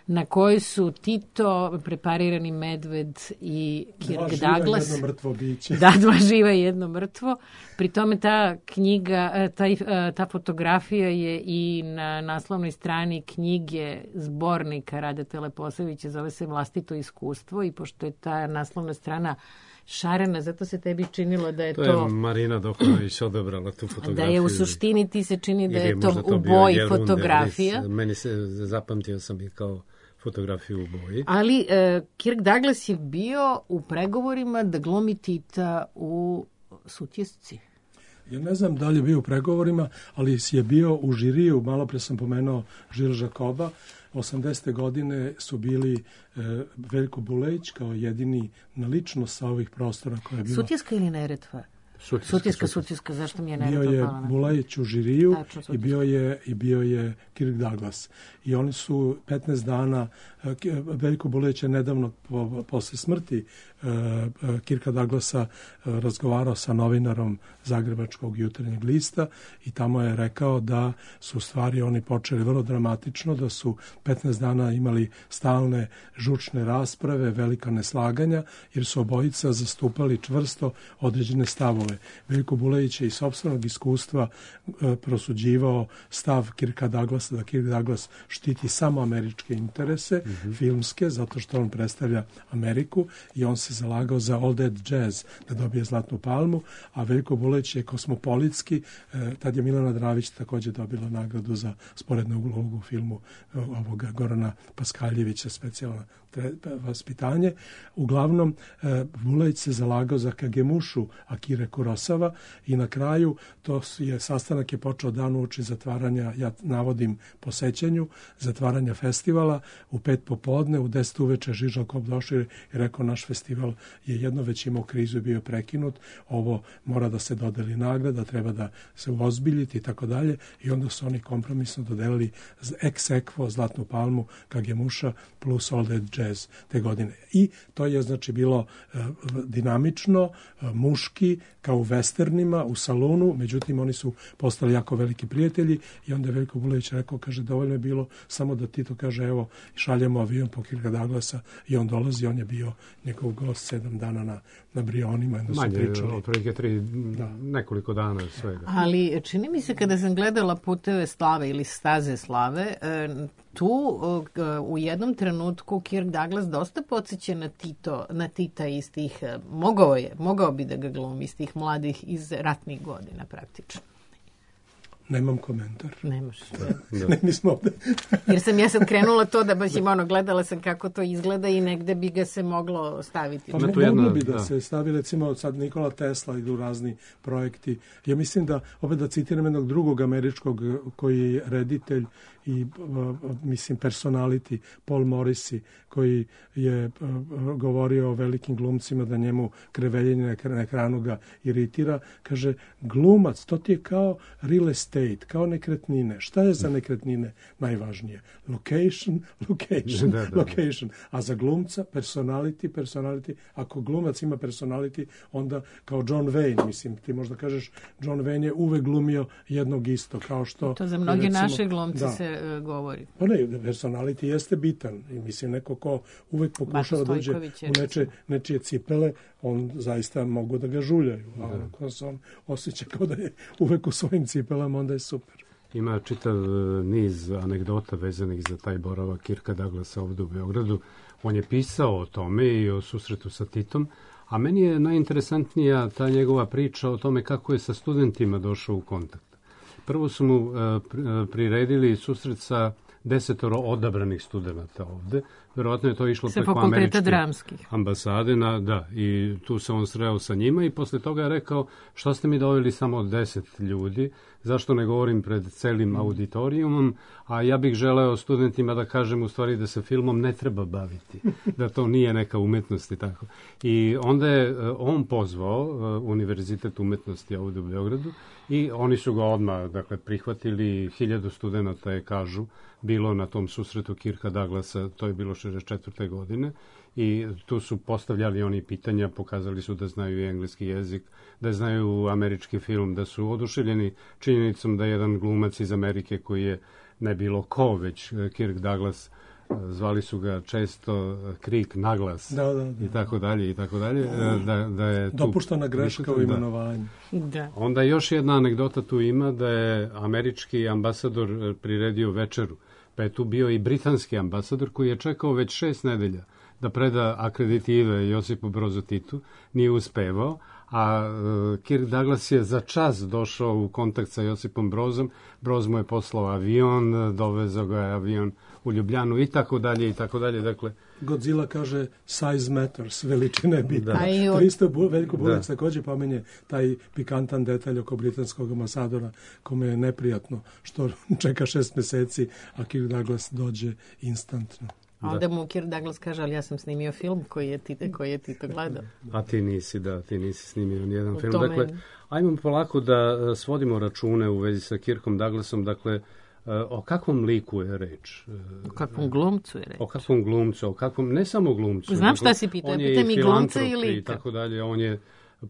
na kojoj su Tito, preparirani medved i Kirk Douglas.
Dva živa, jedno mrtvo biće.
Da, dva živa i jedno mrtvo. Pri tome ta knjiga, taj, ta fotografija je i na naslovnoj strani knjige zbornika Radeta Leposavića, zove se Vlastito iskustvo, i pošto je ta naslovna strana šarena, zato se tebi činilo da je to...
To je Marina Dokonović odabrala tu fotografiju.
Da je u suštini ti se čini da je to u boji fotografija.
Meni se zapamtio sam i kao fotografiju u boji.
Ali e, Kirk Douglas je bio u pregovorima da glumi Tita u Sutjesci.
Ja ne znam da li je bio u pregovorima, ali je bio u žiriju, malo pre sam pomenuo Žil Žakoba. osamdesete godine su bili e, Veljko Bulejić kao jedini na ličnost sa ovih prostora koja je bila...
Sutjeska ili Neretva?
Sutjeska,
Sutjeska, Sutjeska, zašto mi je Neretva
bio je
pala na...
Bulajić u žiriju
Tačno,
i bio je, i bio je Kirk Douglas. I oni su petnaest dana, Veljko Bulejić je nedavno po, posle smrti uh, Kirka Douglasa uh, razgovarao sa novinarom Zagrebačkog jutarnjeg lista i tamo je rekao da su stvari oni počeli vrlo dramatično, da su petnaest dana imali stalne žučne rasprave, velika neslaganja, jer su obojica zastupali čvrsto određene stavove. Veljko Bulejić je iz sopstvenog iskustva uh, prosuđivao stav Kirka Douglasa, da Kirk Douglas štiti samo američke interese, mm-hmm. filmske, zato što on predstavlja Ameriku i on se zalagao za All That Jazz, da dobije Zlatnu palmu, a Veljko Bulejić je kosmopolitski, eh, tad je Milana Dravić također dobila nagradu za sporednu ulogu u filmu eh, ovoga Gorana Paskaljevića, specijalna vaspitanje. Uglavnom, eh, Bulejić se zalagao za Kagemušu Akire Kurosawa i na kraju to je sastanak je počeo dan uoči zatvaranja, ja navodim po sećanju, zatvaranja festivala u pet popodne, u deset uveče Žižal Kop došao i rekao naš festival je jedno već imao krizu i bio prekinut, ovo mora da se dodeli nagrada, treba da se uozbiljiti i tako dalje i onda su oni kompromisno dodelili ex aequo Zlatnu palmu Kagemuša plus All That Jazz te godine. I to je znači bilo uh, dinamično, uh, muški, kao u westernima, u salonu, međutim oni su postali jako veliki prijatelji i onda je Veljko Bulejić rekao, kaže, dovoljno je bilo samo da Tito kaže, evo, šaljemo avion po Kirka Douglasa i on dolazi, on je bio njegov gost sedam dana na, na Brionima. Onda
manje,
su pričali.
otprilike tri, da. nekoliko dana svega.
Ali čini mi se kada sam gledala Puteve slave ili Staze slave, tu u jednom trenutku Kirk Douglas dosta podsjeća na Tito, na Tita iz tih, mogao je, mogao bi da ga glumi iz tih mladih iz ratnih godina praktično.
Nemam komentar.
Nemaš.
Da. Ne, nismo ovde.
Jer sam ja sad krenula to da baš im ono, gledala sam kako to izgleda i negde bi ga se moglo staviti.
Pa moglo jedna, bi da, da se stavi, recimo sad Nikola Tesla, idu razni projekti. Ja mislim da, opet da citiram jednog drugog američkog koji je reditelj i mislim personality, Paul Morrissey, koji je govorio o velikim glumcima da njemu kreveljenje na ekranu ga iritira. Kaže, glumac, to ti je kao real estate, kao nekretnine. Šta je za nekretnine najvažnije? Location, location, da, da, da. location. A za glumca, personality, personality. Ako glumac ima personality, onda kao John Wayne, mislim, ti možda kažeš, John Wayne je uvek glumio jednog isto, kao što...
To za mnoge recimo, naše glumce da, se uh, govori.
Pa ne, personality jeste bitan. I mislim, neko ko uvek pokušava da uđe u neče, nečije cipele, on zaista mogu da ga žuljaju. A da. Ako se on osjeća kao da je uvek u svojim cipelama, onda je super.
Ima čitav niz anegdota vezanih za taj boravak Kirka Douglasa ovdje u Beogradu. On je pisao o tome i o susretu sa Titom, a meni je najinteresantnija ta njegova priča o tome kako je sa studentima došao u kontakt. Prvo su mu uh, priredili susret sa desetoro odabranih studenta ovde. Verovatno je to išlo
sa
preko američke
dramskih
ambasade. Na, da, i tu se on sreo sa njima i posle toga je rekao što ste mi doveli samo deset ljudi, zašto ne govorim pred celim auditorijumom, a ja bih želeo studentima da kažem u stvari da se filmom ne treba baviti, da to nije neka umetnost i tako. I onda je on pozvao Univerzitet umetnosti ovde u Beogradu i oni su ga odmah dakle, prihvatili, hiljadu studenta je, kažu, bilo na tom susretu Kirka Douglasa, to je bilo šezdeset četvrte godine i tu su postavljali oni pitanja, pokazali su da znaju i engleski jezik, da znaju američki film, da su oduševljeni činjenicom da jedan glumac iz Amerike koji je ne bilo ko, već Kirk Douglas, zvali su ga često Krik naglas
da, da, da.
i tako dalje i tako dalje. Da, da je tu
dopuštena greška u imenovanju.
Da.
Onda još jedna anegdota tu ima da je američki ambasador priredio večeru, pa je tu bio i britanski ambasador koji je čekao već šest nedelja da preda akreditive Josipu Brozu Titu, nije uspevao, a Kirk Douglas je za čas došao u kontakt sa Josipom Brozom. Broz mu je poslao avion, dovezao ga je avion u Ljubljanu i tako dalje i tako dalje. Dakle,
Godzilla kaže size matters, veličina je bitna.
Da.
To isto Veljko Bunac također pomenje taj pikantan detalj oko britanskog ambasadora kome je neprijatno što čeka šest meseci, a Kirk Douglas dođe instantno.
A onda mu Kirk Douglas kaže, ali ja sam snimio film koji je ti, koji je ti to gledao.
A ti nisi, da, ti nisi snimio nijedan
U
film.
tome...
Dakle, ajmo polako da svodimo račune u vezi sa Kirkom Douglasom. Dakle, o kakvom liku je reč?
O kakvom glumcu je reč?
O kakvom glumcu, o kakvom, ne samo glumcu.
Znam šta si pitao, pitaj mi glumca i lika.
I tako dalje, on je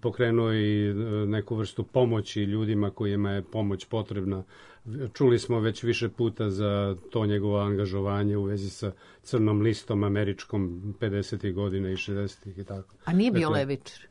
pokrenuo i neku vrstu pomoći ljudima kojima je pomoć potrebna. Čuli smo već više puta za to njegovo angažovanje u vezi sa crnom listom američkom pedesetih godina i šezdesetih i tako.
A nije bio
dakle,
levičar?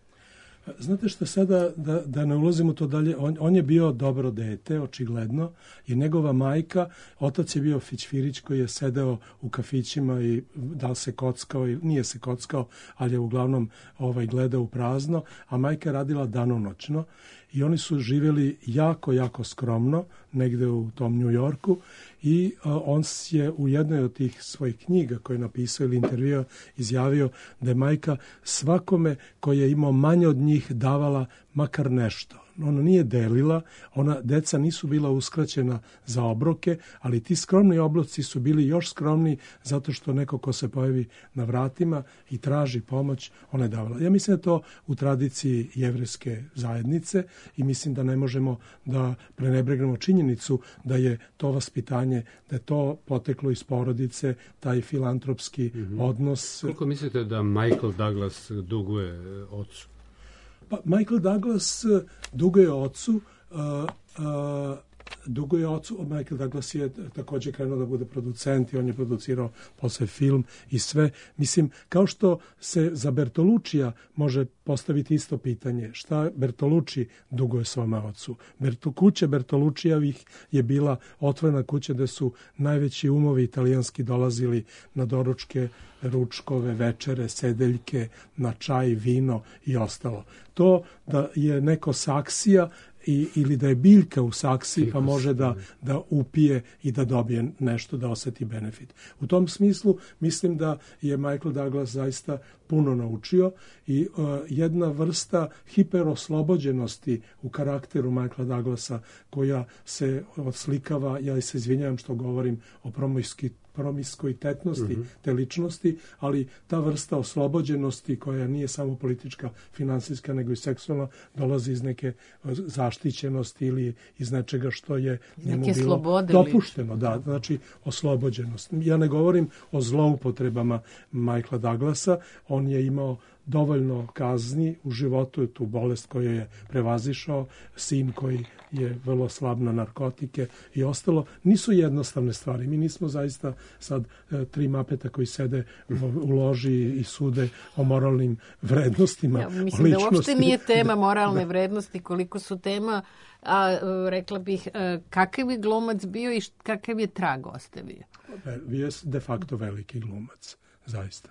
Znate što sada, da, da ne ulazimo to dalje, on, on je bio dobro dete, očigledno, i njegova majka, otac je bio Fićfirić koji je sedeo u kafićima i da li se kockao, i nije se kockao, ali je uglavnom ovaj, gledao u prazno, a majka je radila danonoćno i oni su živjeli jako, jako skromno, negde u tom New Yorku, i a, on je u jednoj od tih svojih knjiga koje je napisao ili intervjua izjavio da je majka svakome koji je imao manje od njih davala makar nešto. Ona nije delila, ona, deca nisu bila uskraćena za obroke, ali ti skromni obroci su bili još skromniji zato što neko ko se pojavi na vratima i traži pomoć, ona je davala. Ja mislim da je to u tradiciji jevrejske zajednice i mislim da ne možemo da prenebregnemo činjenicu da je to vaspitanje, da je to poteklo iz porodice, taj filantropski mm-hmm. odnos.
Koliko mislite da Michael Douglas duguje ocu?
Pa, Michael Douglas duguje ocu, uh, uh, duguje ocu, Michael Douglas je također krenuo da bude producent i on je producirao posle film i sve. Mislim, kao što se za Bertolučija može postaviti isto pitanje, šta Bertolucci duguje svome ocu. Bertu, kuća Bertolučijevih je bila otvorena kuća gde su najveći umovi italijanski dolazili na doručke, ručkove, večere, sedeljke, na čaj, vino i ostalo. To da je neko saksija i, ili da je biljka u saksiji pa može da, da upije i da dobije nešto, da osjeti benefit. U tom smislu mislim da je Michael Douglas zaista puno naučio i uh, jedna vrsta hiperoslobođenosti u karakteru Michaela Douglasa koja se odslikava, ja se izvinjavam što govorim o promiskuitetnosti promiskuitetnosti mm-hmm. te ličnosti, ali ta vrsta oslobođenosti koja nije samo politička, finansijska, nego i seksualna, dolazi iz neke zaštićenosti ili iz nečega što je njemu
neke
bilo dopušteno. Da, znači oslobođenost. Ja ne govorim o zloupotrebama Michaela Douglasa, on je imao dovoljno kazni u životu, tu bolest koju je prevazišao, sin koji je vrlo slab na narkotike i ostalo. Nisu jednostavne stvari. Mi nismo zaista sad e, tri mapeta koji sede u, u loži i sude o moralnim vrednostima.
Ja, mislim da uopšte nije tema moralne vrednosti, koliko su tema, a rekla bih, kakav je glumac bio i kakav je trag ostavio.
Bio je de facto veliki glumac, zaista.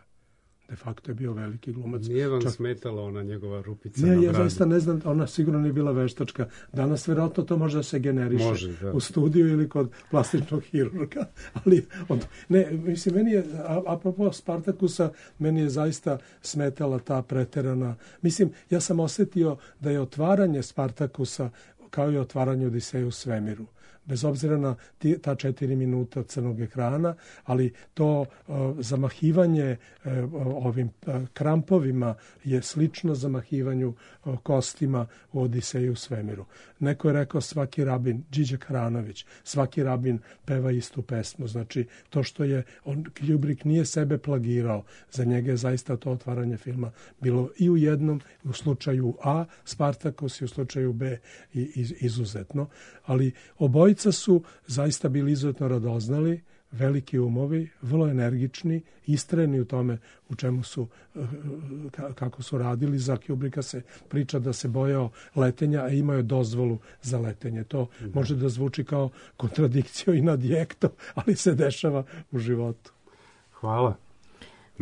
De facto je bio veliki glumac.
Nije vam
Čak...
smetala ona njegova rupica
ne,
na bradu?
Ja zaista ne znam, ona sigurno nije bila veštačka. Danas vjerojatno to može da se generiše
može, da.
u studiju ili kod plastičnog hirurga. Ali, od... ne, mislim, meni je, apropo Spartakusa, meni je zaista smetala ta preterana. Mislim, ja sam osjetio da je otvaranje Spartakusa kao i otvaranje Odiseja u svemiru. Bez obzira na ti, ta četiri minuta crnog ekrana, ali to uh, zamahivanje uh, ovim uh, krampovima je slično zamahivanju uh, kostima u Odiseju u svemiru. Neko je rekao svaki rabin, Điđa Karanović, svaki rabin peva istu pesmu. Znači, to što je, on, Kubrick nije sebe plagirao, za njega je zaista to otvaranje filma bilo i u jednom, u slučaju A, Spartakus i u slučaju B iz, izuzetno. Ali obojica su zaista bili izuzetno radoznali, veliki umovi, vrlo energični, istrajni u tome u čemu su, kako su radili. Za Kubricka se priča da se bojao letenja, a imao je dozvolu za letenje. To da. Može da zvuči kao kontradikcija i nadjekto, ali se dešava u životu.
Hvala.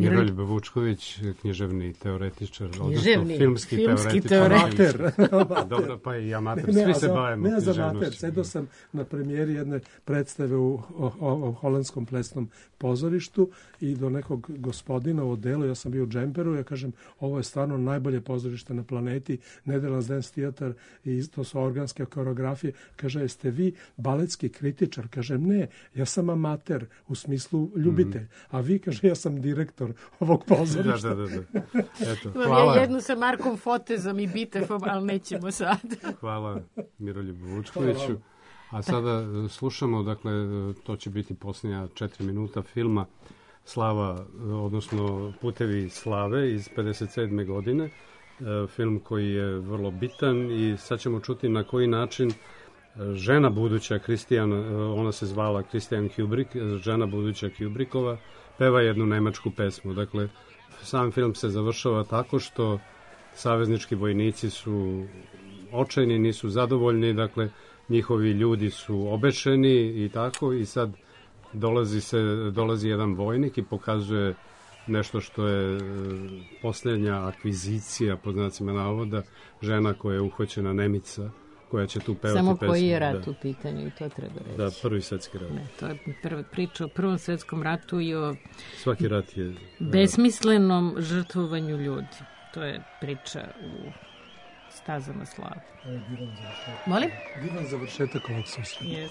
Miroljub Vučković, književni teoretičar,
književni,
filmski,
filmski
teoretičar.
Amater.
Dobro, pa i amater. Svi se bavimo
književnošću. Ne za amater.
književnošću.
Sedao sam na premijeri jedne predstave u o, o, o holandskom plesnom pozorištu i do nekog gospodina u odelu, ja sam bio u džemperu, ja kažem, ovo je stvarno najbolje pozorište na planeti, Netherlands Dance Theater, i to su organske koreografije. Kaže, jeste vi baletski kritičar? Kažem, ne, ja sam amater, u smislu ljubitelj. Mm-hmm. A vi, kaže, ja sam direktor ovog pozorišta.
Da, da, da. da. Eto,
Imam
hvala.
ja jednu sa Markom Fotezom i Bitefom, ali nećemo sad.
Hvala Miroljubu Vučkoviću. A sada slušamo, dakle, to će biti posljednja četiri minuta filma Slava, odnosno Putevi slave iz pedeset sedme godine. Film koji je vrlo bitan i sad ćemo čuti na koji način žena buduća Kristijan, ona se zvala Kristijan Kubrik, žena buduća Kubrikova, peva jednu nemačku pesmu. Dakle, sam film se završava tako što saveznički vojnici su očajni, nisu zadovoljni, dakle, njihovi ljudi su obešeni i tako, i sad dolazi, se, dolazi jedan vojnik i pokazuje nešto što je posljednja akvizicija, po znacima navoda, žena koja je uhvaćena, Nemica, koja će tu pevati
Samo
pesmu.
koji je rat
da.
u pitanju, i to treba reći.
Da, prvi svjetski rat.
Ne, to je prva priča o Prvom svjetskom ratu i o
Svaki rat je
besmislenom žrtvovanju ljudi. To je priča u Stazama slave.
Divan završetak.
Molim?
Divan završetak ovog susreta.
Yes.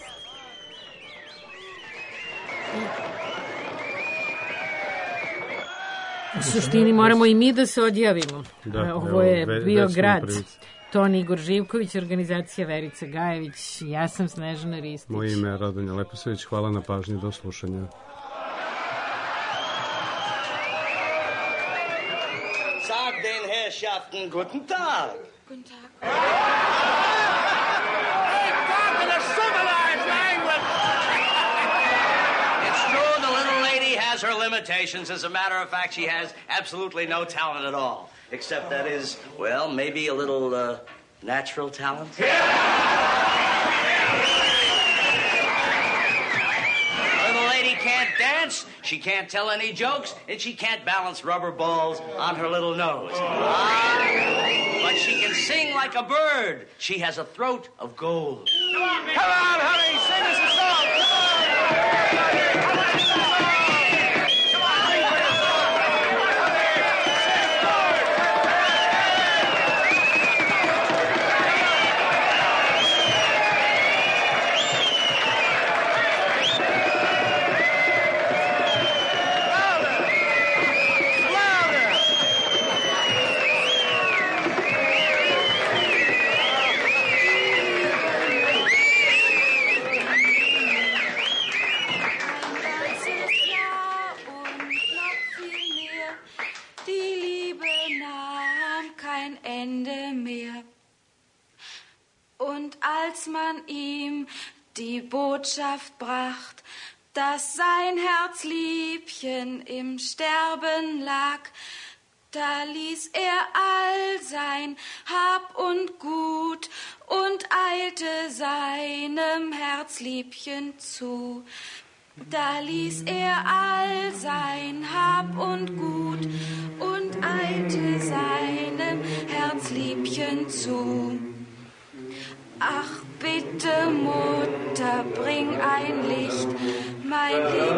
U suštini moramo i mi da se odjavimo.
Da,
ovo je
evo, ve,
bio grad.
Prvici.
Toni Igor Živković, organizacija Verica Gajević, ja sam Snežana Ristić.
Moje ime je Radonja Leposavić, hvala na pažnji, do slušanja.
Sag den Herrschaften guten Tag.
Guten Tag.
Hey, talk in a civilized language. It's true the little lady has her limitations. As a matter of fact, she has absolutely no talent at all. Except that is, well, maybe a little uh, natural talent. Little lady can't dance, she can't tell any jokes, and she can't balance rubber balls on her little nose. Ah, but she can sing like a bird. She has a throat of gold. Come on, baby. Come on, honey, sing us a song. Come on. Come on, sing a song.
Als man ihm die Botschaft bracht, dass sein Herzliebchen im Sterben lag, da ließ er all sein Hab und Gut und eilte seinem Herzliebchen zu. Da ließ er all sein Hab und Gut und eilte seinem Herzliebchen zu. Ach, bitte, Mutter, bring ein Licht, mein Licht.